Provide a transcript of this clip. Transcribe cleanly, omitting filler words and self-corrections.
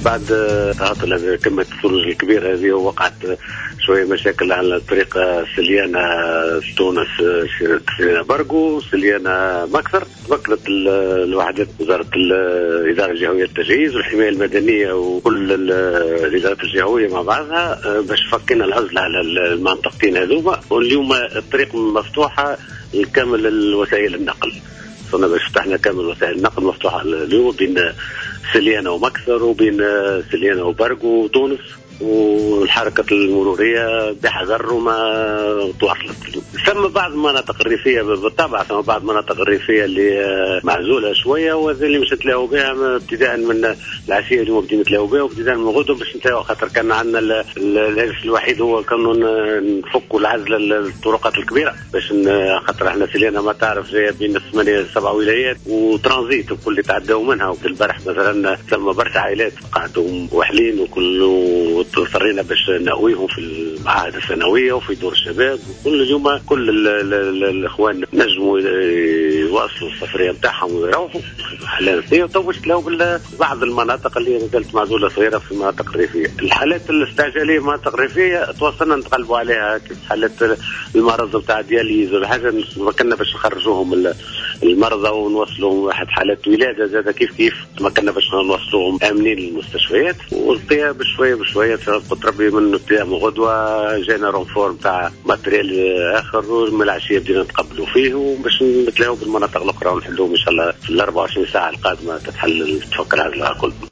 بعد تعاطل كمية الثلوج الكبيرة هذه وقعت شوية مشاكل على طريق سليانة تونس، سليانة برقو، سليانة مكثر. تمكنت الوحدات وزارة الإدارة الجهوية للتجهيز والحماية المدنية وكل الإدارات الجهوية مع بعضها باش فكينا العزلة على المنطقتين هذوما، واليوم الطريق مفتوحة لكامل الوسائل النقل. وصلنا باش فتحنا كامل وسائل النقل مفتوحة اليوم بين سليانة ومكثر وبين سليانة وبرقو وتونس، والحركة المرورية بحذر وما تواصلت. ثم بعض المناطق الريفية بالطبع، ثم بعض المناطق الريفية اللي معزولة شوية وهذا اللي مش نتلاقوا بها ابتداء من العشية اليوم بدينا نتلاقوا بها وابتداء من غدوة باش نتلاقوا، خاطر كان عندنا الهاجس الوحيد هو كانوا نفكوا العزلة للطرقات الكبيرة باش خاطر احنا سليانة ما تعرف جاية بين 8 7 ولايات وترانزيت وكل اللي تعداو منها. وفي البارح مثلا ثم برشا عائلات قعدوا وحلين وكل اضطرينا باش نأويهم في المعاهد الثانوية وفي دور الشباب. وكل اليوم كل الاخوان نجموا يواصلوا السفرية نتاعهم ويروحوا حالات ثانية. وتو باش تلاقوا بعض المناطق اللي مازالت معزولة صغيرة في المناطق الريفية. الحالات الاستعجاليه في المناطق الريفية تواصلنا نتغلبوا عليها، كيف حالات المرض نتاع dialyse ولا حاجة تمكنا باش نخرجوهم المرضى ونوصلوهم. واحد حالات ولاده زاد كيف كيف تمكنا باش نوصلوهم امنين للمستشفيات. والبقية بشوية بشوية قلت ربي من ابتداء من غدوه جانا renfort تاع matériel اخر، ومن العشية بدينا نتقبلوا فيه وباش نتلاقوا بالمناطق الاخرى ونحلوهم ان شاء الله في ال 24 ساعة القادمة تتحل تفك العزلة الكل.